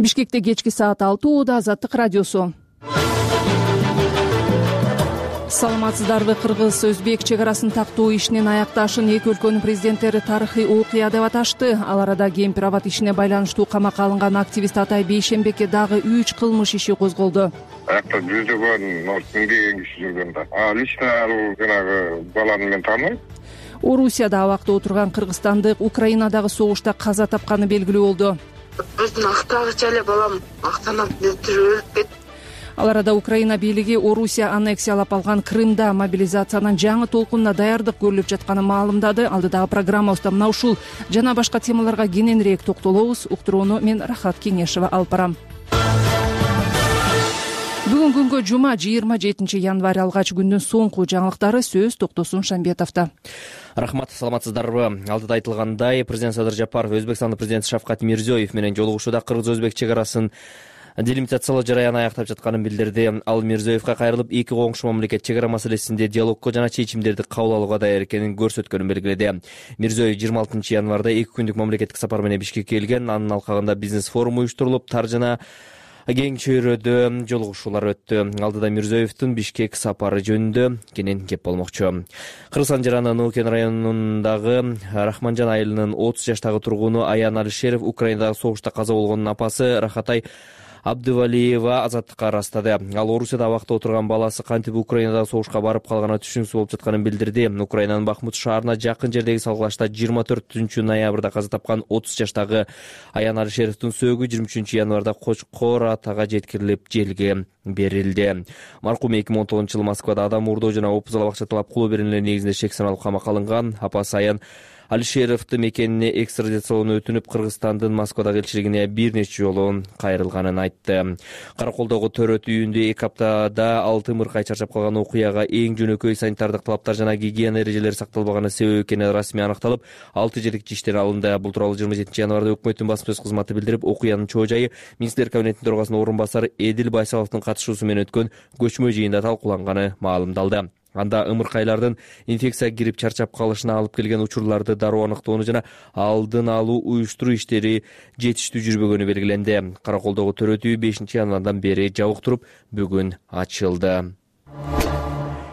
Бишкекте кечки саат 6:00 Азаттык радиосу. Саламатсыздарбы? Кыргыз өзбек чек арасын тактоо ишинин аякташын эки өлкөнүн президенттери тарыхый окуя деп аташты. Ал арада кемпир абад ишине байланыштуу камакка алынган активист Атай Бейшембекке дагы 3 кылмыш иши козголду. Аякта жүздөгөн миңдеген киши жүргөн да. Лично ал жанагы баланы мен тааныбайм. Орусияда абакта отурган кыргызстандык Украинадагы согушта каза тапканы белгилүү болду. Өзүн актагыча эле балам актанып өлүп кетти. Ал арада Украина бийлиги Орусия аннексиялап алган Крымда мобилизациянын жаңы толкунуна даярдык көрүлүп жатканын маалымдады. Алдыдагы программабызда мына ушул жана башка темаларга кененирээк токтолобуз. Уктурууну мен Рахат Кеңешева алып барам. Бүгүн күнгө жума 27 январь алгач күндүн соңку жаңылыктары. Сөз Токтосун Шамбетовдо. Рахмат, саламатсыздарбы? Алдыда айтылгандай, президент Садыр Жапаров Өзбекстандын президенти Шавкат Мирзиёев менен жолугушууда кыргыз-өзбек чек арасын делимитациялоо жараяны аяктап жатканын билдирди. Ал Мирзиёевго кайрылып, эки коңшу мамлекет чек ара маселесинде диалогко жана чечимдерди кабыл алууга даяр экенин көрсөткөнүн белгиледи. Мирзиёев 26 январда 2 күндүк мамлекеттик сапар менен Бишкекке келген. Анын алкагында бизнес форум уюштурулуп, тар жана кең чөйрөдө жолугушуулар өттү. Алдыда Мирзиёевдин Бишкек сапары жөнүндө кенен кеп болмокчу. Кыргызстан жаранын Нуукен районундагы Рахманжан айылынын 30 жаштагы тургуну Аян Алишеров Украинадагы согушта каза болгонун апасы Рахатай Абдывалиева азаттыкка ырастады. Ал Орусияда абакта отурган баласы кантип Украинадагы согушка барып калганына түшүнүксүз болуп жатканын билдирди. Украинанын Бахмут шаарына жакын жердеги салгылашта 24 ноябрда каза тапкан 30 жаштагы Аян Алишеровдун сөөгү 23 январда Кочкор атага жеткирилип желге берилди. Маркум 2019-жылы Москвада адам уурдоо жана опузал акча талап кылуу беренелери негизинде шек саналып камакка алынган. Апасы Аян Алишеровдун мекенине экстрадициялоону өтүнүп, Кыргызстандын Москвадагы элчилигине бир нече жолу кайрылганын айтты. Караколдогу төрөт үйүндө 2 аптада 6 мыркай чарчап калган окуяга эң жөнөкөй санитардык талаптар жана гигиена эрежелери сакталбаганы себеп экени расмий аныкталып, 6 жердик иштер алынды. Бул тууралуу 27 январда өкмөттүн басма сөз кызматы билдирип, окуянын чоо жайы Министрлер кабинетинин төрагасынын орун басары Эдил Байсаловдун катышуусу менен өткөн көчмө жыйында талкууланганы маалымдалды. Анда ымыркайлардын инфекция кирип чарчап калышына алып келген учурларды дароо аныктоону жана алдын алуу уюштуруу иштери жетиштүү жүрбөгөнү белгиленди. Караколдогу төрөт үй 5 январдан бери жабык туруп, бүгүн ачылды.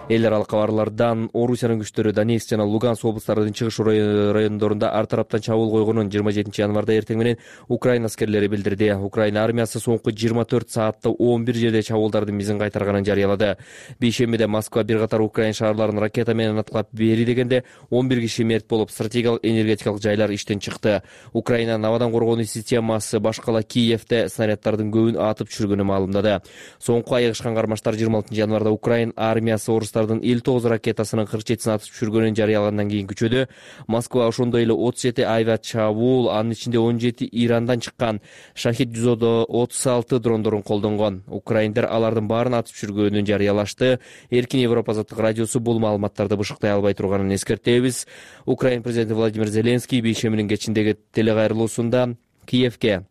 Эл аралык кабарлардан Орусиянын күчтөрү Донецк жана Луганск облустарынын чыгыш райондорунда ар тараптан чабуул койгонун 27 январда эртең менен Украина аскерлери билдирди. Украина армиясы соңку 24 саатта 11 жерде чабуулдардын мизин кайтарганын жарыялады. Бейшембиде Москва бир катар Украина шаарларын ракета менен аткылап бери дегенде 11 киши мерт болуп, стратегиялык энергетикалык жайлар иштен чыкты. Украинанын абадан коргонуу системасы башкала Киевде снаряддардын көбүн атып түшүргөнү маалымдады. Соңку айыгышкан кармаштар 26 январда Украина армиясы орустардын 59 ракетасынын 47-син атып түшүргөнүн жарыялагандан кийин күчөдө. Москва ошондой эле 37 авиачабуул, анын ичинде 17 Ирандан чыккан Шахид 136 дрондорун колдонгон. Украиндер алардын баарын атып түшүргөнүн жарыялашты. Эркин Европа азаттык радиосу бул маалыматтарды бышыктай албай турганын эскертебиз. Украина президенти Владимир Зеленский бейшембинин кечиндеги телекайрылуусунда Киевге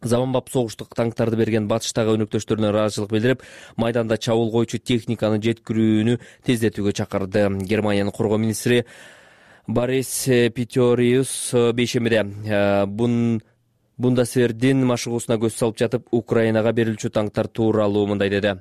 заманбап согуштук танктарды берген батыштагы өнөктөштөрүнө ыраазычылык билдирип, майданда чабуул койчу техниканы жеткирүүнү тездетүүгө чакырды. Германиянын коргоо министри Борис Питориус бейшембиде Бундесвердин машыгуусуна көз салып жатып, Украинага берилчү танктар тууралуу мындай деди.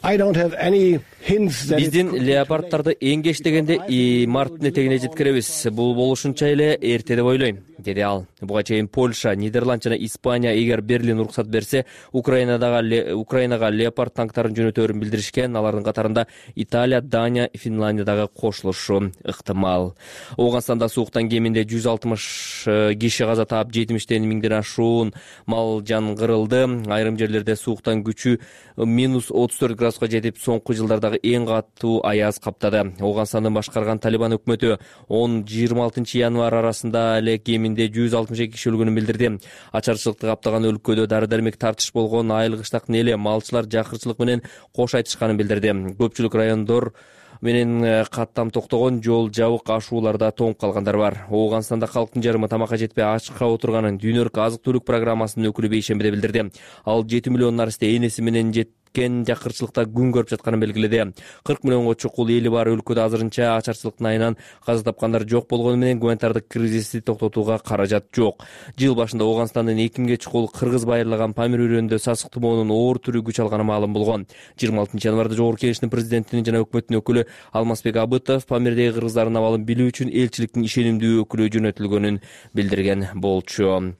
Биздин леопардтарды эң кеч дегенде марттын этегине жеткиребиз. Бул болушунча эле эрте деп ойлойм, деди ал. Буга чейин Польша, Нидерланд жана Испания эгер Берлин уруксат берсе, Украинага леопард танктарын жөнөтөөрүн билдиришкен. Алардын катарында Италия, Дания, Финландия дагы кошулушу ыктымал. Ооганстанда сууктан кеминде 160 киши каза таап, 70-тен миңден ашуун мал жан кырылды. Айрым жерлерде сууктан күчү -34 градуска жетип, соңку жылдардагы эң катуу аяз каптады. Ооганстандын башкарган Талибан өкмөтү 10-26 январь арасында эле кеминде 162 киши өлгөнүн билдирди. Ачарчылыкты каптаган өлкөдө дары-дармек тартыш болгон, айыл кыштактын эли малчылар жакырчылык менен кош айтышканын билдирди. Көпчүлүк райондор менен каттам токтогон, жол жабык, ашууларда тоңуп калгандар бар. Ооганстанда калктын жарымы тамакка жетпей ачка отурганын дүйнөлүк азык-түлүк программасынын өкүлү бейшембиде билдирди. Ал 7 миллиондон арсыз энеси менен кеткен жакырчылыкта күн көрүп жатканын белгиледи. 40 миллионго чукул эли бар өлкөдө азырынча ачарчылыктын айынан каза тапкандар жок болгону менен гуманитардык кризисти токтотууга каражат жок. Жыл башында Ооганстандын экимге чукул кыргыз байырлаган Памир өрөөнүндө сасык тумоонун оор түрү күч алганы маалым болгон. 26 январда Жогорку Кеңештин президентинин жана өкмөттүн өкүлү Алмазбек Абытов Памирдеги кыргыздардын абалын билүү үчүн элчиликтин ишенимдүү өкүлү жөнөтүлгөнүн билдирген болчу.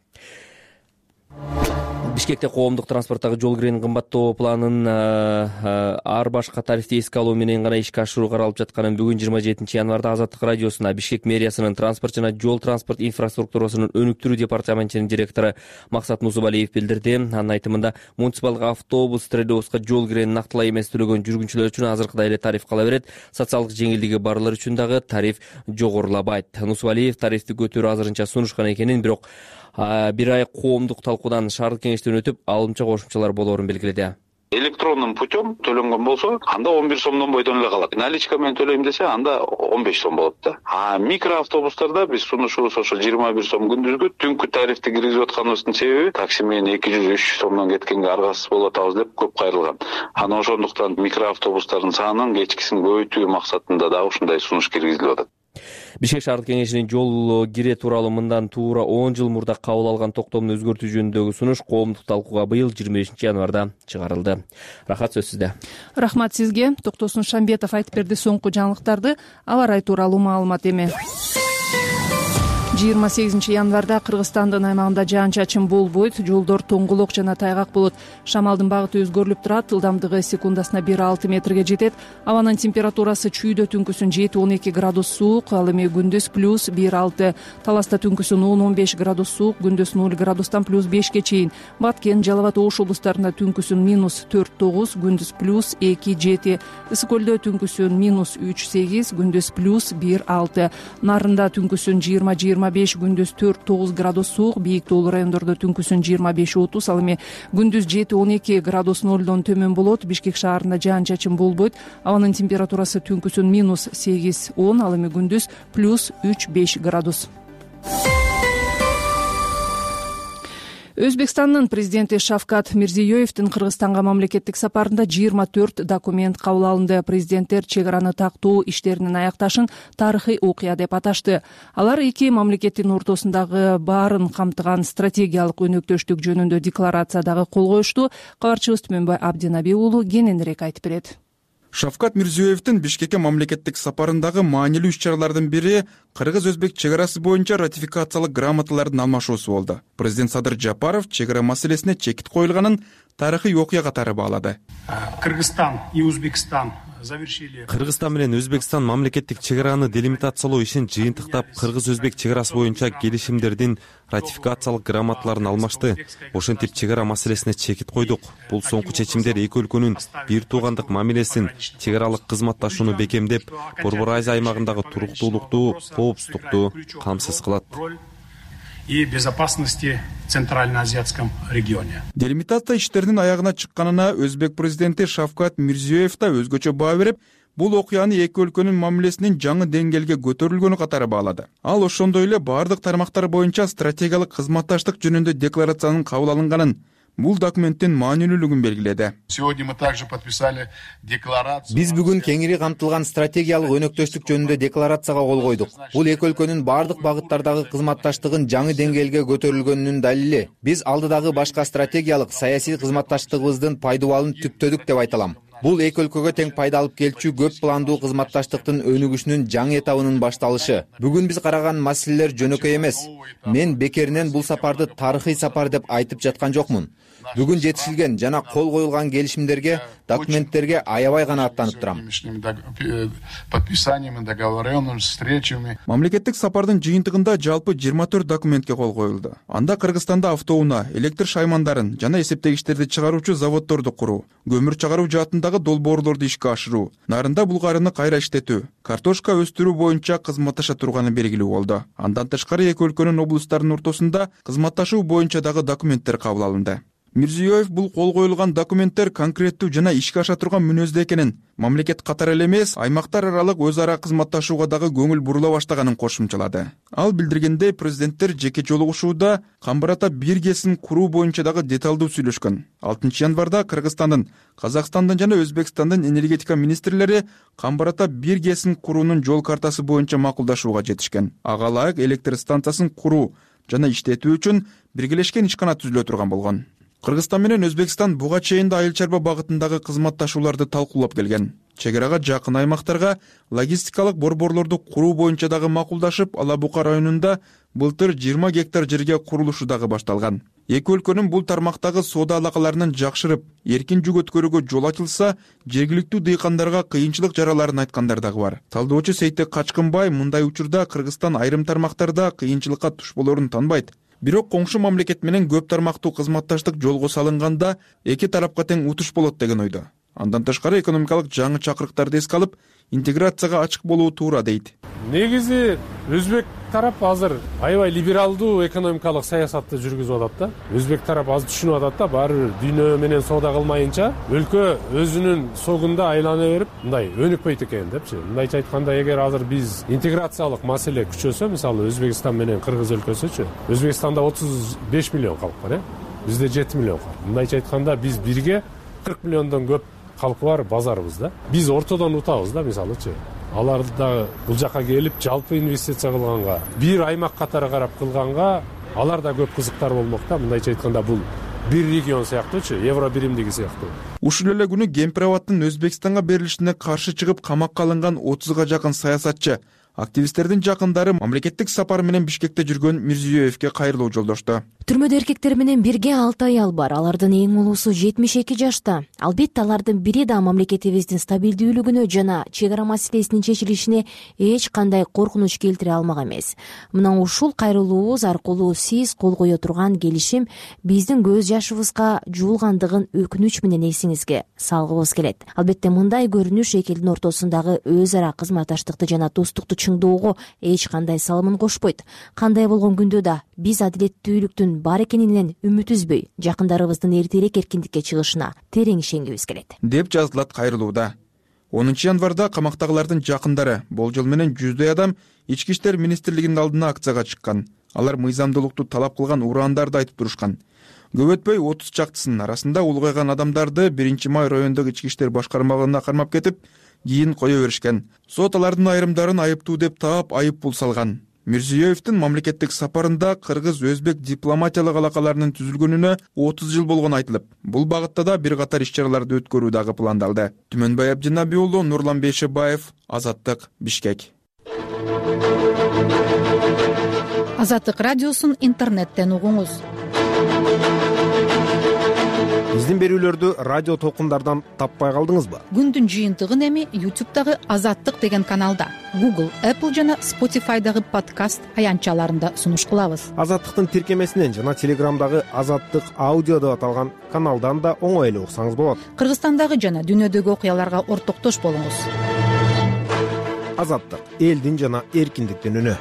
Бишкекте коомдук транспорттогу жол киренин кымбаттоо планын ар башка тарифти эске алуу менен гана ишке ашыруу каралып жатканын бүгүн 27 январда Азаттык радиосуна Бишкек мэриясынын транспорт жана жол транспорт инфраструктурасынын өнүктүрүү департаментинин директору Максат Нусубалиев билдирди. Анын айтымында муниципалдык автобус, троллейбуска жол киренин нактылай эмес төлөгөн жүргүнчүлөр үчүн азыркыдай эле тариф кала берет. Социалдык жеңилдиги барлар үчүн дагы тариф жогорулабайт. Нусубалиев тарифти көтөрүү азырынча сунушкан экенин, бирок бир ай коомдук талкуудан шаардык кеңештен өтүп алымча кошумчалар болоорун белгиледи. Электрондун путем төлөнгөн болсо, анда 11 сомдон бойдон эле калат. Наличка менен төлөйм десе, анда 15 сом болот да. Микроавтобустарда биз сунушубуз ошо 21 сом күндүзгү. Түнкү тарифти киргизип атканыбыздын себеби такси менен 200-300 сомдон кеткенге аргасыз болуп атабыз деп көп кайрылган. Анан ошондуктан микроавтобустардын санын кечкисин көбөйтүү максатында дагы ушундай сунуш киргизилип атат. Бишкек шаардык кеңешинин жол кире тууралуу мындан туура 10 жыл мурда кабыл алган токтомду өзгөртүү жөнүндөгү сунуш коомдук талкууга быйыл 25 январда чыгарылды. Рахат, сөз сизде. Рахмат сизге. Токтосун Шамбетов айтып берди соңку жаңылыктарды. Аба ырайы тууралуу маалымат эми. 28 январда Кыргызстандын аймагында жаан-чачын болбойт, жолдор тоңголок жана тайгак болот. Шамалдын багыты өзгөрүлүп турат, ылдамдыгы секундасына 1-6 метрге жетет. Абанын температурасы чүйдө түнкүсүн 7-12 градус суук, ал эми күндүз плюс 1-6. Таласта түнкүсүн 10-15 градус суук, күндүз 0 градустан плюс 5ке чейин. Баткен, Жалал Абад, Ош облустарында түнкүсүн минус 4-9, күндүз плюс 2-7. Ысык көлдө түнкүсүн минус 3-8, күндүз плюс 1-6. Нарында түнкүсүн 20-25, күндүз 4-9 градус суук, бийик тоолуу райондордо түнкүсүн 25-30, ал эми күндүз 7-12 градус нолдон төмөн болот. Бишкек шаарында жаан-чачын болбойт. Абанын температурасы түнкүсүн минус 8-10, ал эми күндүз плюс 3-5 градус. Өзбекстандын президенти Шавкат Мирзиёевдин Кыргызстанга мамлекеттик сапарында 24 документ кабыл алынды. Президенттер чек араны тактоо иштеринин аякташын тарыхый окуя деп аташты. Алар эки мамлекеттин ортосундагы баарын камтыган стратегиялык өнөктөштүк жөнүндө декларациядагы кол коюшту. Кабарчыбыз Түмөнбай Абдинаби уулу кененирээк айтып берет. Шавкат Мирзиёевдин Бишкекке мамлекеттик сапарындагы маанилүү иш-чаралардын бири кыргыз-өзбек чек арасы боюнча ратификациялык грамоталардын алмашуусу болду. Президент Садыр Жапаров чек ара маселесине чекит коюлганын тарыхый окуя катары баалады. Кыргызстан и Узбекстан завершили. Кыргызстан менен Өзбекстан мамлекеттик чек араны делимитациялоо ишин жыйынтыктап, кыргыз-өзбек чек арасы боюнча келишимдердин ратификациялык грамоталарын алмашты. Ошентип чек ара маселесине чекит койдук. Бул соңку чечимдер эки өлкөнүн бир туугандык мамилесин, чек аралык кызматташууну бекемдеп, Борбор Азия аймагындагы туруктуулукту, коопсуздукту камсыз кылат. И безопасности в Центральноазиатском регионе. Делимитация иштеринин аягына чыкканына өзбек президенти Шавкат Мирзиёев да өзгөчө баа берип, бул окуяны эки өлкөнүн мамилесинин жаңы деңгээлге көтөрүлгөнү катары баалады. Ал ошондой эле бардык тармактар боюнча стратегиялык кызматташтык жөнүндө декларациянын кабыл алынганын, бул документтин маанилүүлүгүн белгиледи. Сегодня мы также подписали декларацию. Биз бүгүн кеңири камтылган стратегиялык өнөктөштүк жөнүндө декларацияга кол койдук. Бул эки өлкөнүн бардык багыттардагы кызматташтыгын жаңы деңгээлге көтөрүлгөнүнүн далили. Биз алдыдагы башка стратегиялык саясий кызматташтыгыбыздын пайдубалын түптөдүк деп айта алам. Бул эки өлкөгө тең пайда алып келчү көп пландуу кызматташтыктын өнүгүшүнүн жаңы этабынын башталышы. Бүгүн биз караган маселелер жөнөкөй эмес. Мен бекеринен бул сапарды тарыхый сапар деп айтып жаткан жокмун. Бүгүн жетишилген жана кол коюлган келишимдерге, документтерге аябай канааттанып турам. Подписаниями, договоренными встречами. Мамлекеттик сапардын жыйынтыгында жалпы 24 документке кол коюлду. Анда Кыргызстанда автоунаа, электр шаймандарын жана эсептегичтерди чыгаруучу заводдорду куруу, көмүр чыгаруу жаатындагы долбоорлорду ишке ашыруу, нарында булгарыны кайра иштетүү, картошка өстүрүү боюнча кызматташа турганы белгилүү болду. Андан тышкары эки өлкөнүн облустарынын ортосунда кызматташуу боюнча дагы документтер кабыл алынды. Мирзиёев бул кол коюлган документтер конкреттүү жана ишке аша турган мүнөздө экенин, мамлекет катары эле эмес, аймактар аралык өз ара кызматташууга дагы көңүл бурула баштаганын кошумчалады. Ал билдиргендей, президенттер жеке жолугушууда Камбар ата бир КСин куруу боюнча дагы деталдуу сүйлөшкөн. 6 январда Кыргызстандын, Казакстандын жана Өзбекстандын энергетика министрлери Камбар ата бир КСин куруунун жол картасы боюнча макулдашууга жетишкен. Ага ылайык электр станциясын куруу жана иштетүү үчүн биргелешкен ишкана түзүлө турган болгон. Кыргызстан менен Өзбекстан буга чейин да айыл чарба багытындагы кызматташууларды талкуулап келген. Чек арага жакын аймактарга логистикалык борборлорду куруу боюнча дагы макулдашып, Ала Бука районунда былтыр 20 гектар жерге курулушу дагы башталган. Эки өлкөнүн бул тармактагы соода алакаларынын жакшырып, эркин жүк өткөрүүгө жол ачылса, жергиликтүү дыйкандарга кыйынчылык жараларын айткандар дагы бар. Талдоочу Сейтек Качкынбай мындай учурда Кыргызстан айрым тармактарда кыйынчылыкка туш болоорун танбайт. Бирок коңшу мамлекет менен көп тармактуу кызматташтык жолго салынганда эки тарапка тең утуш болот деген ойдо. Андан тышкары экономикалык жаңы чакырыктарды эске алып, интеграцияга ачык болуу туура дейт. Негизи өзбек тарап азыр аябай либералдуу экономикалык саясатты жүргүзүп атат да. Өзбек тарап аз түшүнүп атат да, баары бир дүйнө менен соода кылмайынча өлкө өзүнүн согунда айлана берип, мындай өнүкпөйт экен депчи. Мындайча айтканда, эгер азыр биз интеграциялык маселе күчөсө, мисалы Өзбекстан менен Кыргыз өлкөсүчү, Өзбекстанда 35 миллион калк бар, бизде 7 миллион бар. Мындайча айтканда, биз бирге 40 миллиондон көп калкы бар базарыбыз да. Биз ортодон утабыз да, мисалычы. Алар да бул жака келип жалпы инвестиция кылганга, бир аймак катары карап кылганга, алар да көп кызыктар болмок да. Мындайча айтканда, бул бир регион сыяктуучу, евро биримдиги сыяктуу. Ушул эле күнү Кемпир-Абадтын Өзбекстанга берилишине каршы чыгып камакка алынган 30га жакын саясатчы, активисттердин жакындары мамлекеттик сапар менен Бишкекте жүргөн Мирзиёевке кайрылуу жолдошту. Түрмөдө эркектер менен бирге 6 аял бар. Алардын эң улуусу 72 жашта. Албетте алардын бири да мамлекетибиздин стабилдүүлүгүнө жана чек ара маселесинин чечилишине эч кандай коркунуч келтире алмак эмес. Мына ушул кайрылуубуз аркылуу сиз кол кое турган келишим биздин көз жашыбызга жуулгандыгын өкүнүч менен эсиңизге салгыбыз келет. Албетте мындай көрүнүш эки элдин ортосундагы өз ара кызматташтыкты жана достукту чыңдоого эч кандай салымын кошпойт. Кандай болгон күндө да биз адилеттүүлүктүн бар экенинен үмүт үзбөй, жакындарыбыздын эртерээк эркиндикке чыгышына терең ишенгибиз келет, деп жазылат кайрылууда. 10 январда камактагылардын жакындары болжол менен 100дөй адам Ички иштер министрлигинин алдына акцияга чыккан. Алар мыйзамдуулукту талап кылган ураандарды айтып турушкан. Көп өтпөй 30 чактысынын арасында улгайган адамдарды 1-май райондук ички иштер башкармалыгына кармап кетип, кийин кое беришкен. Сот алардын айрымдарын айыптуу деп таап, айып пул салган. Мирзиёевдин мамлекеттик сапарында кыргыз-өзбек дипломатиялык алакаларынын түзүлгөнүнө 30 жыл болгону айтылып, бул багытта да бир катар иш-чараларды өткөрүү дагы пландалды. Түмөнбай Абдинаби уулу, Нурлан Бейшебаев, Азаттык, Бишкек. Азаттык радиосун интернеттен угуңуз. Биздин берүүлөрдү радио толкундардан таппай калдыңызбы? Күндүн жыйынтыгын эми YouTube'дагы Азаттык деген каналда, Google, Apple жана Spotify'дагы подкаст аянтчаларында сунуш кылабыз. Азаттыктын тиркемесинен жана Telegram'дагы Азаттык аудио деп аталган каналдан да оңой эле уксаңыз болот. Кыргызстандагы жана дүйнөдөгү окуяларга ортоктош болуңуз. Азаттык — элдин жана эркиндиктин үнү.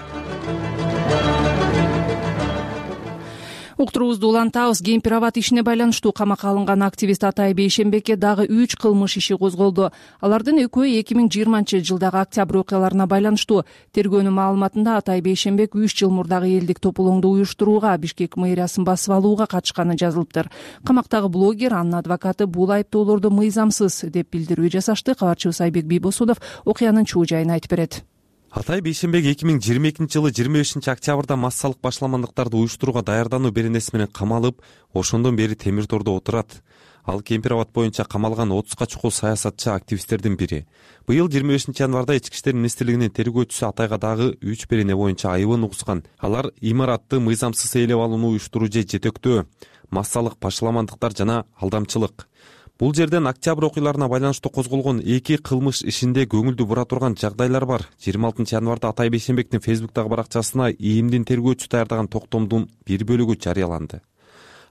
Уктуруубузду улантабыз. Кемпир-Абад ишине байланыштуу камакка алынган активист Атай Бейшембекке дагы 3 кылмыш иши козголду. Алардын экөө 2020-жылдагы октябрь окуяларына байланыштуу. Тергөөнүн маалыматында Атай Бейшембек 3 жыл мурдагы элдик тополоңду уюштурууга, Бишкек мэриясын басып алууга катышканы жазылыптыр. Камактагы блогер, анын адвокаты бул айыптоолорду мыйзамсыз деп билдирүү жасашты. Кабарчыбыз Айбек Бийбосунов окуянын чуу жайын айтып берет. Атай Бейшембек 2022-жылы 25-октябрда массалык башламандыктарды уюштурууга даярдануу беренеси менен камалып, ошондон бери темир тордо отурат. Ал Кемпир-Абад боюнча камалган 30га чукул саясатчы активисттердин бири. Быйыл 25 январда Ички иштер министрлигинин тергөөчүсү Атайга дагы 3 берене боюнча айыбын угускан. Алар имаратты мыйзамсыз ээлеп алууну уюштуруу же жетектөө, массалык башламандыктар жана алдамчылык. Бул жерден октябрь окуяларына байланыштуу козголгон 2 кылмыш ишинде көңүлдү бура турган жагдайлар бар. 26 январда Атай Бейшембектин Фейсбуктагы баракчасына ИИМдин тергөөчүсү даярдаган токтомдун бир бөлүгү жарыяланды.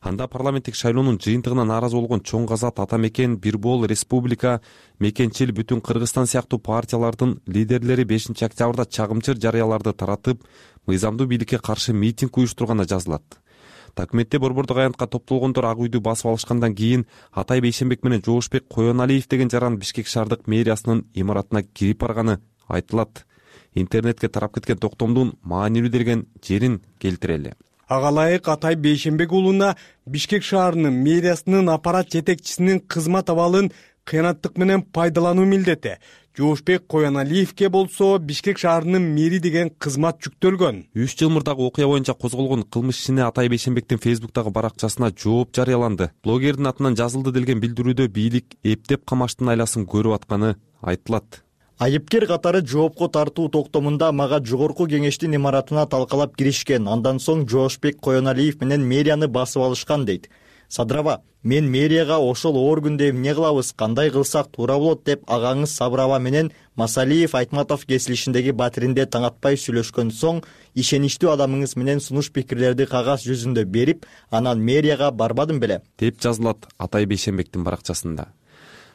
Анда парламенттик шайлоонун жыйынтыгына нааразы болгон Чоң Казат, Ата Мекен, Бирбол, Республика, Мекенчил, Бүтүн Кыргызстан сыяктуу партиялардын лидерлери 5 октябрда чагымчыр жарыяларды таратып, мыйзамдуу бийликке каршы митинг уюштурганы жазылат. Документте борбордук аянтка топтолгондор ак үйдү басып алышкандан кийин Атай Бейшенбек менен Жоошбек Коеналиев деген жаран Бишкек шаардык мэриясынын имаратына кирип барганы айтылат. Интернетке тарап кеткен токтомдун маанилүү деген жерин келтирели. Ага ылайык Атай Бейшенбек уулуна Бишкек шаарынын мэриясынын аппарат жетекчисинин кызмат абалын кыянаттык менен пайдалануу милдети. Жоошбек Коеналиевке болсо Бишкек шаарынын мэри деген кызмат жүктөлгөн. 3 жыл мурдагы окуя боюнча козголгон кылмыш ишине Атай Бейшенбектин Фейсбуктагы баракчасына жооп жарыяланды. Блогердин атынан жазылды делген билдирүүдө бийлик эптеп камаштын айласын көрүп атканы айтылат. Айыпкер катары жоопко тартуу токтомунда мага жогорку кеңештин имаратына талкалап киришкен. Андан соң Жоошбек Коеналиев менен мэрияны басып алышкан дейт. Садырова, мен мэрияга ошол оор күндө эмне кылабыз, кандай кылсак туура болот деп агаңыз Сабырова менен Масалиев Айтматов кесилишиндеги батиринде таңатпай сүйлөшкөн соң ишеничтүү адамыңыз менен сунуш пикирлерди кагаз жүзүндө берип, анан мэрияга барбадым беле, деп жазылат Атай Бейшенбектин баракчасында.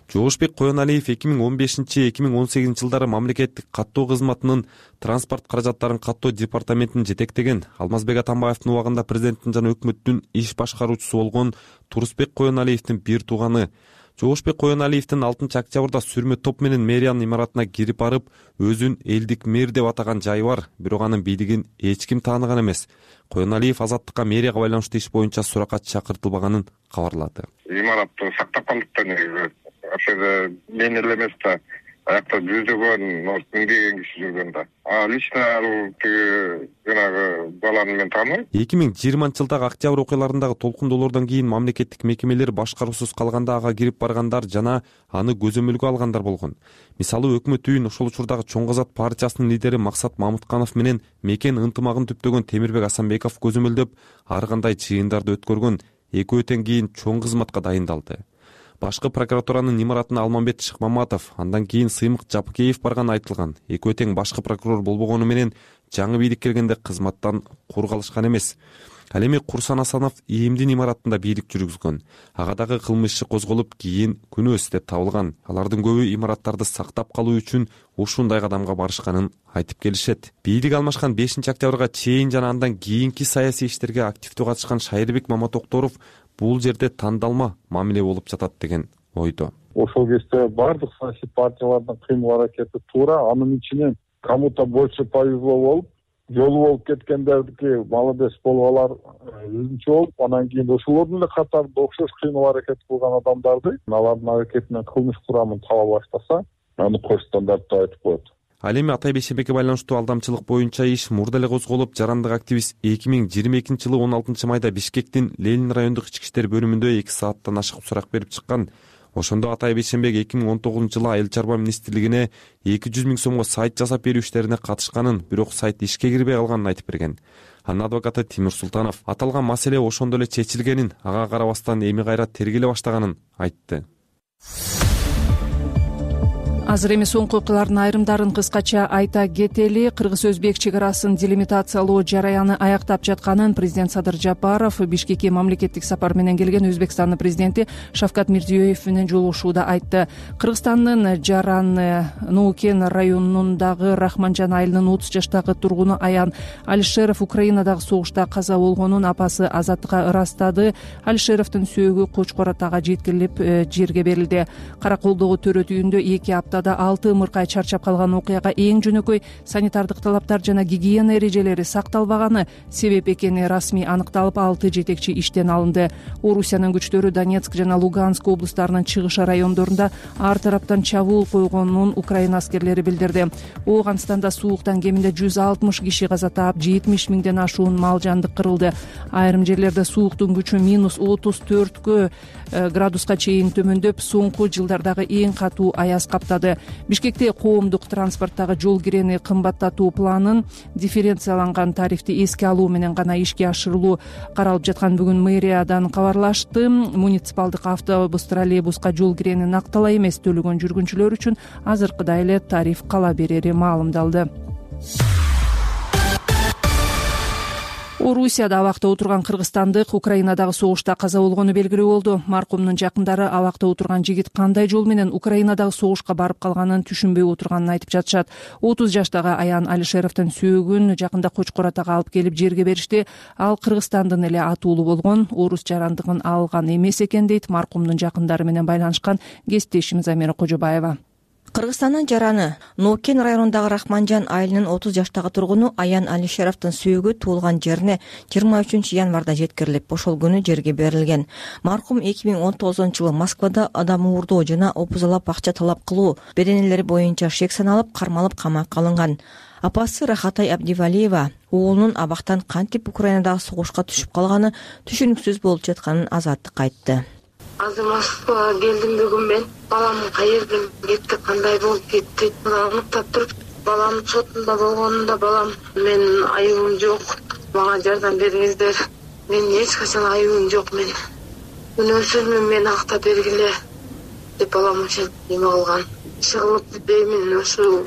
Жоошбек Коеналиев 2015-2018 жылдары мамлекеттик каттоо кызматынын транспорт каражаттарын каттоо департаментин жетектеген. Алмазбек Атамбаевдин убагында президенттин жана өкмөттүн иш башкаруучусу болгон Турусбек Коеналиевдин бир тууганы. Жоошбек Коеналиевдин 6 октябрда сүрмө топ менен мэриянын имаратына кирип барып, өзүн элдик мэр деп атаган жайы бар, бирок анын бийлигин эч ким тааныган эмес. Коеналиев азаттыкка мэрияга байланыштуу иш боюнча суракка чакыртылбаганын кабарлады. Имаратты сактап калдык негизи. Ошол мен эле эмес да, аякта жүздөгөн миңдеген киши жүргөн да. Лично тиги жанагы баланы мен тааныбайм. 2020 жылдагы октябрь окуяларындагы толкундоолордон кийин мамлекеттик мекемелер башкаруусуз калганда ага кирип баргандар жана аны көзөмөлгө алгандар болгон. Мисалы, өкмөт үйүн ошол учурдагы Чоң Казак партиясынын лидери Максат Мамытканов менен мекен ынтымагын түптөгөн Темирбек Асанбеков көзөмөлдөп, ар кандай чыйындарды өткөргөн. Экөөтөн кийин чоң кызматка дайындалды. Башкы прокуратуранын имаратына Алмамбет Шыкмаматов, андан кийин Сыймык Жапыкеев барганы айтылган. Экөө тең башкы прокурор болбогону менен жаңы бийлик келгенде кызматтан кургалышкан эмес. Ал эми Курсан Асанов ИИМдин имаратында бийлик жүргүзгөн. Ага дагы кылмыш иши козголуп, кийин күнөөс деп табылган. Алардын көбү имараттарды сактап калуу үчүн ушундай кадамга барышканын айтып келишет. Бийлик алмашкан 5 октябрга чейин жана андан кийинки саясий иштерге активдүү катышкан Шайырбек Маматокторов бул жерде тандалма мамиле болуп жатат деген ойдо. Ошол кезде бардык саясий партиялардын кыймыл аракети туура, анын ичинен кому-то больше повезло болуп, жолу болуп кеткендердики молодец болуп алар өзүнчө болуп, анан кийин ошолордун эле катарында окшош кыймыл аракет кылган адамдарды алардын аракетинен кылмыш курамын таба баштаса, аны кош стандарт деп айтып коет. Ал эми Атай Бейшенбекке байланыштуу алдамчылык боюнча иш мурда эле козголуп, жарандык активист 2022 жылы 16 майда Бишкектин Ленин райондук ички иштер бөлүмүндө 2 сааттан ашык сурак берип чыккан. Ошондо Атай Бейшенбек 2019 жылы Айыл чарба министрлигине 200 000 сомго сайт жасап берүү иштерине катышканын, бирок сайт ишке кирбей калганын айтып берген. Анын адвокаты Тимир Султанов аталган маселе ошондо эле чечилгенин, ага карабастан эми кайра тергеле баштаганын айтты. Азыр эми соңку окуялардын айрымдарын кыскача айта кетели. Кыргыз-өзбек чек арасын делимитациялоо жараяны аяктап жатканын президент Садыр Жапаров Бишкекке мамлекеттик сапар менен келген Өзбекстандын президенти Шавкат Мирзиёев менен жолугушууда айтты. Кыргызстандын Жаран Нуукен районундагы Рахманжан айылынын 30 жаштагы тургуну Аян Алишеров Украинадагы согушта каза болгонун апасы Азаттыкка ырастады. Алишеровдун сөөгү Кочкор атага жеткирилип жерге берилди. Караколдогу төрөт үйүндө 2 апта 6 ымыркай чарчап калган окуяга эң жөнөкөй санитардык талаптар жана гигиена эрежелери сакталбаганы себеп экени расмий аныкталып, 6 жетекчи иштен алынды. Орусиянын күчтөрү Донецк жана Луганск облустарынын чыгыш райондорунда ар тараптан чабуул койгонун Украина аскерлери билдирди. Ооганстанда сууктан кеминде 160 киши каза таап, 70 000ден ашуун мал жандык кырылды. Айрым жерлерде сууктун күчү -34 градуска чейин төмөндөп, соңку жылдардагы эң катуу аяз каптады. Бишкекте коомдук транспорттагы жол кирени кымбаттатуу планын дифференцияланган тарифти эске алуу менен гана ишке ашырылуу каралып жаткан бүгүн мэриядан кабарлашты. Муниципалдык автобус, троллейбуска жол кирени накталай эмес төлөгөн жүргүнчүлөр үчүн азыркыдай эле тариф кала берери маалымдалды. Орусияда абакта отурган кыргызстандык Украинадагы согушта каза болгону белгилүү болду. Маркумдун жакындары абакта отурган жигит кандай жол менен Украинадагы согушка барып калганын түшүнбөй отурганын айтып жатышат. 30 жаштагы Аян Алишеровдун сүйөгүн жакында Кочкор атага алып келип жерге беришти. Ал Кыргызстандын эле атуулу болгон, орус жарандыгын алган эмес экен дейт маркумдун жакындары менен байланышкан кесиптешим Замира Кожобаева. Кыргызстандын жараны Нокен районундагы Рахманжан айылынын 30 жаштагы тургуну Аян Алишеровдун сүйөгү туулган жерине 23 январда жеткирилип, ошол күнү жерге берилген. Маркум 2019-жылы Москвада адам уурдоо жана опузалап акча талап кылуу беренелери боюнча шек саналып, кармалып камакка алынган. Апасы Рахатай Абдивалиева уулунун абактан кантип Украинадагы согушка түшүп калганы түшүнүксүз болуп жатканын Азаттыкка айтты. Азыр Москвага келдим бүгүн мен. Балам каерден кетти, кандай болуп кетти? Аныктап туруп, балам сотунда болгонунда балам менин айыбым жок. Мага жардам бериңиздер. Мен эч качан айыбым жок мен. Күнөөсүзмүн, мен актап бергиле деп балам ошентип эме кылган. Иши кылып деймин, ошо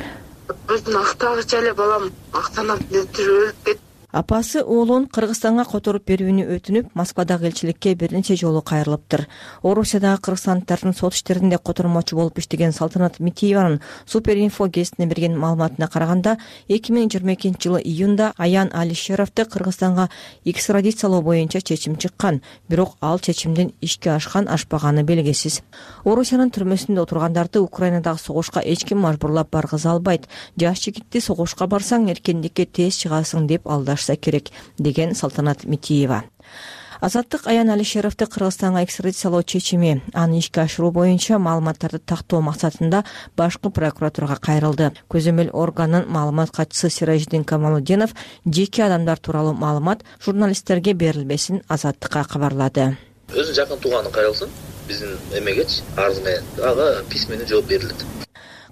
өзүн актагыча эле балам актанат деп өлүп кетти. Апасы уулун Кыргызстанга которуп берүүнү өтүнүп, Москвадагы элчиликке бир нече жолу кайрылыптыр. Орусиядагы кыргызстандыктардын сот иштеринде котормочу болуп иштеген Салтанат Митиеванын Суперинфо гезитине берген маалыматына караганда, 2022-жылы июнда Аян Алишеровду Кыргызстанга экстрадициялоо боюнча чечим чыккан, бирок ал чечимдин ишке ашкан-ашпаганы белгисиз. Орусиянын түрмөсүндө отургандарды Украинадагы согушка эч ким мажбурлап баргыза албайт. Жаш жигитти согушка барсаң эркиндикке тез чыгасың деп алдашса керек, деген Салтанат Митиева. Азаттык Аян Алишеровду Кыргызстанга экстрадициялоо чечими аны ишке ашыруу боюнча маалыматтарды тактоо максатында башкы прокуратурага кайрылды. Көзөмөл органдын маалымат катчысы Сиражиддин Камалудинов жеке адамдар тууралуу маалымат журналисттерге берилбесин Азаттыкка кабарлады. Өзүнүн жакын тууганын кайрылсын, биздин эмегечи арыз менен ага письменный жооп берилет.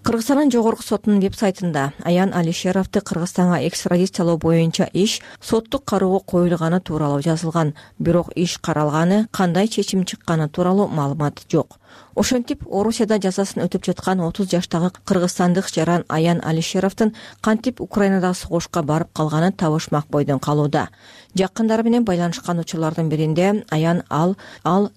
Кыргызстандын жогорку сотунун веб-сайтында Аян Алишеровду Кыргызстанга экстрадициялоо боюнча иш соттук кароого коюлганы тууралуу жазылган, бирок иш каралганы, кандай чечим чыкканы тууралуу маалымат жок. Ошентип, Орусияда жазасын өтүп жаткан 30 жаштагы кыргызстандык жаран Аян Алишеровдун кантип Украинадагы согушка барып калганын табышмак бойдон калууда. Жакындары менен байланышкан учурлардын биринде Аян ал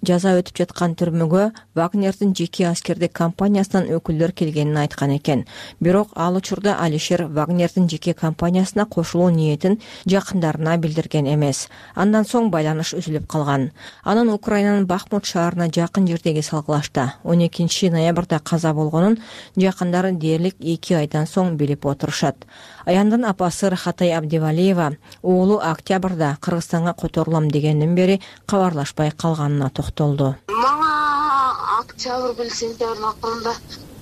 жаза өтүп жаткан түрмөгө Вагнердин жеке аскердик компаниясынан өкүлдөр келгенин айткан экен. Бирок ал учурда Алишер Вагнердин жеке компаниясына кошулуу ниетин жакындарына билдирген эмес. Андан соң байланыш үзүлүп калган. Анын Украинанын Бахмут шаарына жакын жердеги салгылашта 12 ноябрда каза болгонун жакындары дээрлик 2 айдан соң билип отурушат. Аяндын апасы Рахатай Абдивалиева уулу октябрда Кыргызстанга которулам дегенден бери кабарлашпай калганына токтолду. Мага октябрь сентябрдын акырында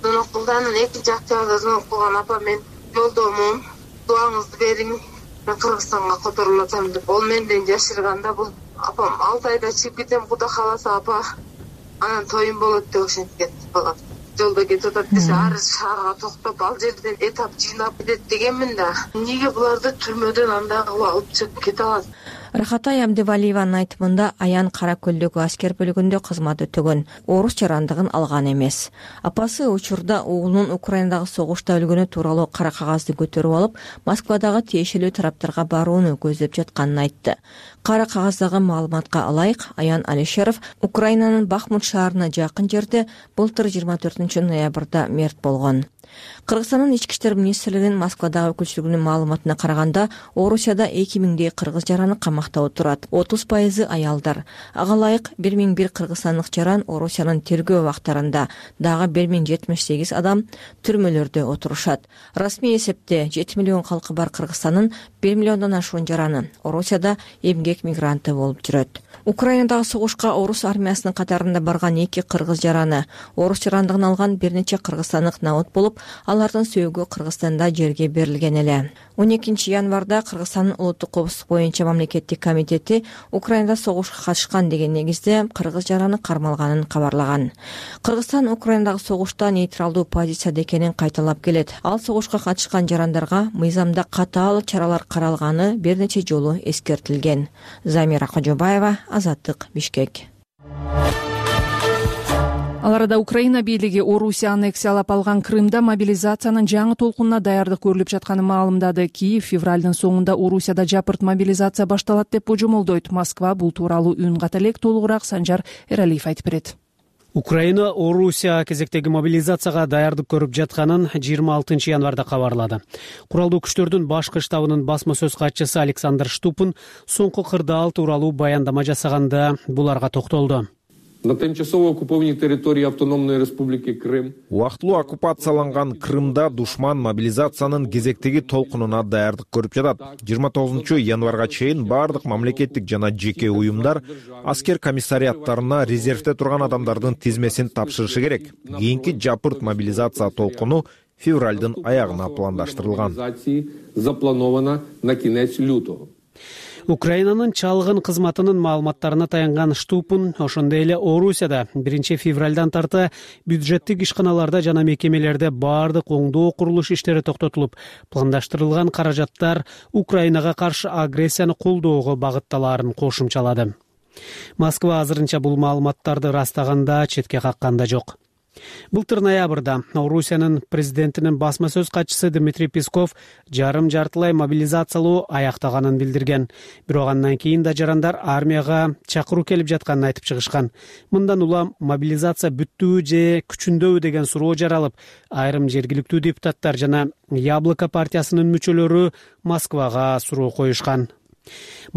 звонок кылды. Анан 2 октябрда звонок кылган: апа, мен жолдомун, дуаңызды бериң, мен Кыргызстанга которулатам деп. Ол менден жашырганда бул апам 6 айда чыгып кетем, Куда кааласа апа. Анан тоюм болот деп ошентип кетти балам. Жолдо кетип атат десе, ар шаарга токтоп, ал жерден этап жыйнап кетет дегенмин да. Эмнеге буларды түрмөдөн андай кылып алып чыгып кете алат? Рахатай Абдивалиеванын айтымында Аян Кара көлдөгү аскер бөлүгүндө кызмат өтөгөн, орус жарандыгын алган эмес. Апасы учурда уулунун Украинадагы согушта өлгөнү тууралуу кара кагазды көтөрүп алып, Москвадагы тиешелүү тараптарга барууну көздөп жатканын айтты. Кара кагаздагы маалыматка ылайык, Аян Алишеров Украинанын Бахмут шаарына жакын жерде былтыр 24 ноябрда мерт болгон. Кыргызстандын ички иштер министрлигинин Москвадагы өкүлчүлүгүнүн маалыматына караганда, Орусияда 2000дей кыргыз жараны камакта отурат. 30% аялдар. Ага ылайык 1001 кыргызстандык жаран Орусиянын тергөө убактарында, дагы 1078 адам түрмөлөрдө отурушат. Расмий эсепте 7 миллион калкы бар Кыргызстандын 1 миллиондон ашуун жараны Орусияда эмгек мигранты болуп жүрөт. Украинадагы согушка орус армиясынын катарында барган 2 кыргыз жараны орус жарандыгын алган бир нече кыргызстандык наут болуп, алардын сөөгү Кыргызстанда жерге берилген эле. 12 январда Кыргызстандын улуттук коопсуздук боюнча мамлекеттик комитети Украинада согушка катышкан деген негизде кыргыз жараны кармалганын кабарлаган. Кыргызстан Украинадагы согушта нейтралдуу позицияда экенин кайталап келет. Ал согушка катышкан жарандарга мыйзамда катаал чаралар каралганы бир нече жолу эскертилген. Замира Кожобаева, Азаттык, Бишкек. Ал арада Украина бийлиги Орусия аннексиялап алган Крымда мобилизациянын жаңы толкунуна даярдык көрүлүп жатканын маалымдады. Киев февралдын соңунда Орусияда жапырт мобилизация башталат деп божомолдойт. Москва бул тууралуу үн ката элек. Толугураак Санжар Эралиев айтып берет. Украина Орусия кезектеги мобилизацияга даярдык көрүп жатканын 26 январда кабарлады. Куралдуу күчтөрдүн башкы штабынын басма сөз катчысы Александр Штупин соңку кырдаал тууралуу баяндама жасаганда буларга токтолду. На тимчасово оккупованной территории Автономной Республики Крым убактылуу оккупацияланган Крымда душман мобилизациянын кезектеги толкунуна даярдык көрүп жатат. 29 январга чейин бардык мамлекеттик жана жеке уюмдар аскер комиссариаттарына резервде турган адамдардын тизмесин тапшырышы керек. Кийинки жапырт мобилизация толкуну февралдын аягына пландаштырылган. Заплановано на конец лютого. Украинанын чалгын кызматынын маалыматтарына таянган Штупин ошондой эле Орусияда 1 февралдан тарта бюджеттик ишканаларда жана мекемелерде бардык оңдоо курулуш иштери токтотулуп, пландаштырылган каражаттар Украинага каршы агрессияны колдоого багытталаарын кошумчалады. Москва азырынча бул маалыматтарды растаганда, четке каккан да жок. Былтыр ноябрда Орусиянын президентинин басма сөз катчысы Дмитрий Песков жарым-жартылай мобилизациялоо аяктаганын билдирген. Бирок андан кийин да жарандар армияга чакыруу келип жатканын айтып чыгышкан. Мындан улам мобилизация бүттүбү же күчүндөбү деген суроо жаралып, айрым жергиликтүү депутаттар жана Яблоко партиясынын мүчөлөрү Москвага суроо коюшкан.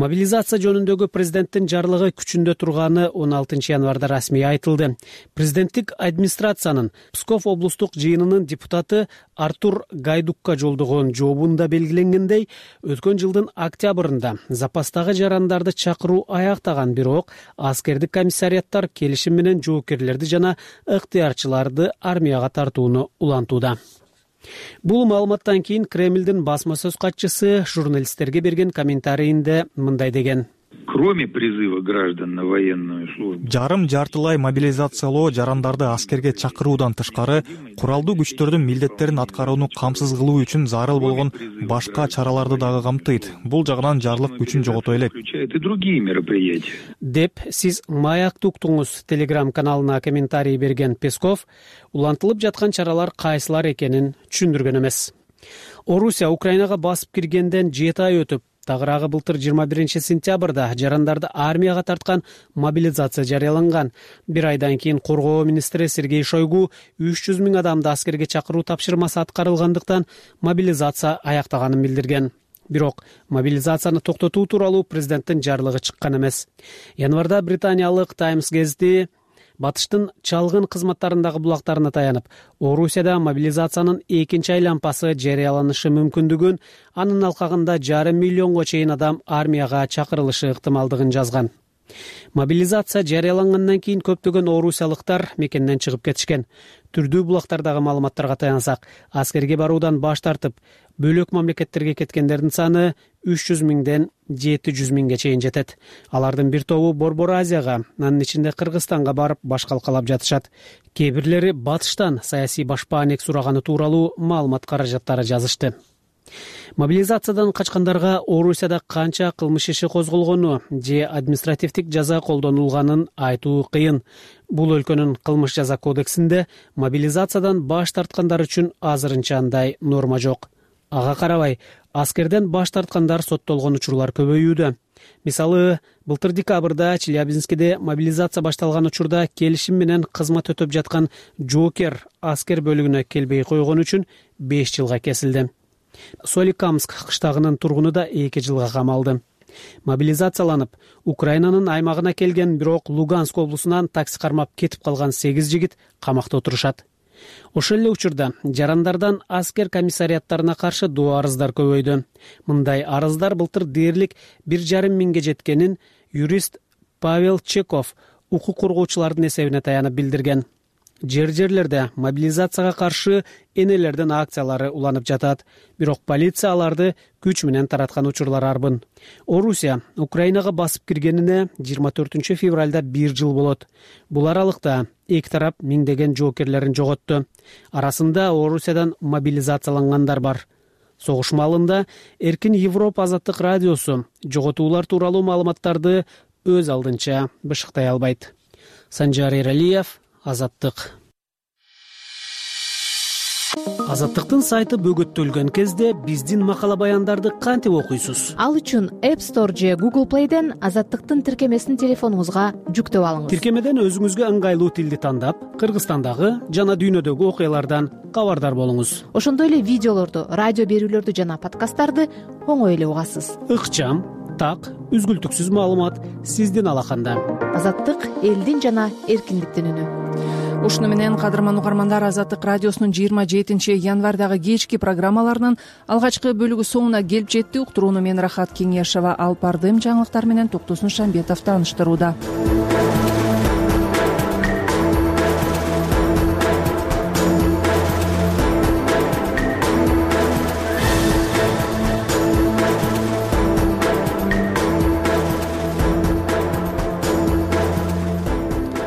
Мобилизация жөнүндөгү президенттин жарлыгы күчүндө турганы 16 январда расмий айтылды. Президенттик администрациянын Псков облустук жыйынынын депутаты Артур Гайдукка жолдогон жообунда белгиленгендей, өткөн жылдын октябрында запастагы жарандарды чакыруу аяктаган, бирок аскердик комиссариаттар келишим менен жоокерлерди жана ыктыярчыларды армияга тартууну улантууда. Бул маалыматтан кийин Кремлдин басма сөз катчысы журналисттерге берген комментарийинде мындай деген. Кроме призыва граждан на военную службу, жарым-жартылай мобилизациялоо жарандарды аскерге чакыруудан тышкары, куралдуу күчтөрдүн милдеттерин аткарууну камсыз кылуу үчүн зарыл болгон башка чараларды дагы камтыйт. Бул жагынан жарлык күчүн жогото элек. Деп сиз Маякты уктуңуз телеграм-каналына комментарий берген Песков улантылып жаткан чаралар кайсылар экенин түшүндүргөн эмес. Орусия Украинага басып киргенден 7 ай өтүп, тагыраагы былтыр 21 сентябрда жарандарды армияга тарткан мобилизация жарыяланган. Бир айдан кийин коргоо министри Сергей Шойгу 300 000 адамды аскерге чакыруу тапшырмасы аткарылгандыктан мобилизация аяктаганын билдирген. Бирок мобилизацияны токтотуу тууралуу президенттин жарлыгы чыккан эмес. Январда британиялык Times газети батыштын чалгын кызматтарындагы булактарына таянып, Орусияда мобилизациянын экинчи айланпасы жарыяланышы мүмкүндүгүн, анын алкагында 500 000 чейин адам армияга чакырылышы ыктымалдыгын жазган. Мобилизация жарыялангандан кийин көптөгөн орусиялыктар мекенден чыгып кетишкен. Түрдүү булактардагы маалыматтарга таянсак, аскерге баруудан баш тартып, бөлөк мамлекеттерге кеткендердин саны 300 000ден 700 000ге чейин жетет. Алардын бир тобу Борбор Азияга, анын ичинде Кыргызстанга барып баш калкалап жатышат. Кээ бирлери батыштан саясий башпаанек сураганы тууралуу маалымат каражаттары жазышты. Мобилизациядан качкандарга Орусияда канча кылмыш иши козголгону же административдик жаза колдонулганын айтуу кыйын. Бул өлкөнүн кылмыш жаза кодексинде мобилизациядан баш тарткандар үчүн азырынча андай норма жок. Ага карабай, аскерден баш тарткандар соттолгон учурлар көбөйүүдө. Мисалы, былтыр декабрда Челябинскиде мобилизация башталган учурда келишим менен кызмат өтөп жаткан жоокер аскер бөлүгүнө келбей койгон үчүн 5 жылга кесилди. Соликамск кыштагынын тургуну да 2 жылга камалды. Мобилизацияланып, Украинанын аймагына келген, бирок Луганск облусунан такси кармап кетип калган 8 жигит камакта отурушат. Ошол эле учурда жарандардан аскер комиссариаттарына каршы доо арыздар көбөйдү. Мындай арыздар былтыр дээрлик 1,5 миңге жеткенин юрист Павел Чеков укук коргоочулардын эсебине таянып билдирген. Жерлерде мобилизацияга каршы энелердин акциялары уланып жатат, бирок полиция аларды күч менен тараткан учурлар арбын. Орусия Украинага басып киргенине 24 февралда 1 жыл болот. Бул аралыкта эки тарап миңдеген жоокерлерин жоготту. Арасында Орусиядан мобилизациялангандар бар. Согуш маалында Эркин Европа азаттык радиосу жоготуулар тууралуу маалыматтарды өз алдынча бышыктай албайт. Санжар Эралиев, Азаттык. Азаттыктын сайты бөгөттөлгөн кезде биздин макала баяндарды кантип окуйсуз? Ал үчүн App Store же Google Play'ден Азаттыктын тиркемесин телефонуңузга жүктөп алыңыз. Тиркемеден өзүңүзгө ыңгайлуу тилди тандап, Кыргызстандагы жана дүйнөдөгү окуялардан кабардар болуңуз. Ошондой эле видеолорду, радио берүүлөрдү жана подкасттарды оңой эле угасыз. Ыкчам, так, үзгүлтүксүз маалымат сиздин алаканда. Азаттык элдин жана эркиндиктин үнү. Ушуну менен кадырман угармандар, Азаттык радиосунун 27 январдагы кечки программаларынын алгачкы бөлүгү соңуна келип жетти. Уктурууну мен Рахат Кеңешова алып бардым. Жаңылыктар менен Токтосун Шамбетов тааныштырууда.